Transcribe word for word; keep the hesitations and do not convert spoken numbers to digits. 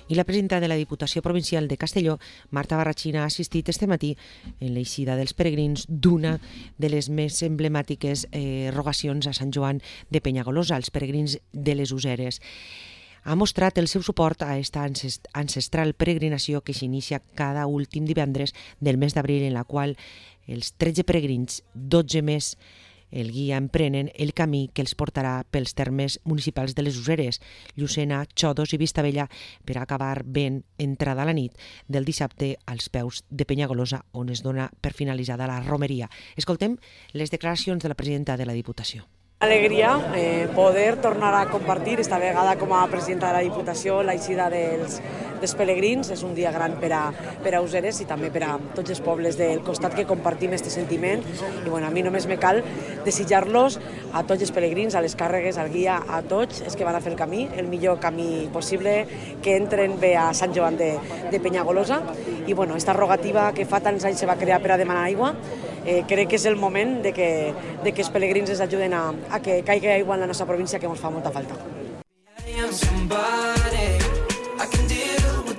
I la presidenta de la Diputació Provincial de Castelló, Marta Barrachina, ha assistit este matí en l'eixida dels peregrins d'una de les més emblemàtiques eh, rogacions a Sant Joan de Penyagolosa, els peregrins de les Useres. Ha mostrat el seu suport a aquesta ancestral peregrinació que s'inicia cada últim divendres del mes d'abril, en la qual els tretze peregrins, dotze més, el guia emprenen el camí que els portarà pels termes municipals de les Useres, Llucena, Xodos i Vistabella, per acabar ben entrada la nit del dissabte als peus de Penyagolosa, on es dona per finalitzada la romeria. Escoltem les declaracions de la presidenta de la Diputació. Alegria eh, poder tornar a compartir, esta vegada com a presidenta de la Diputació, l'eixida dels, dels pelegrins. És un dia gran per a, per a Useres i també per a tots els pobles del costat que compartim aquest sentiment. I bueno, a mi només me cal desitjar-los a tots els pelegrins, a les càrregues, al guia, a tots els que van a fer el camí, el millor camí possible, que entren bé a Sant Joan de, de Penyagolosa. I bueno, esta rogativa que fa tants anys se va crear per a demanar aigua, Eh, crec que és el moment de que, de que els pelegrins ens ajuden a, a que caigui aigua en la nostra província, que ens fa molta falta.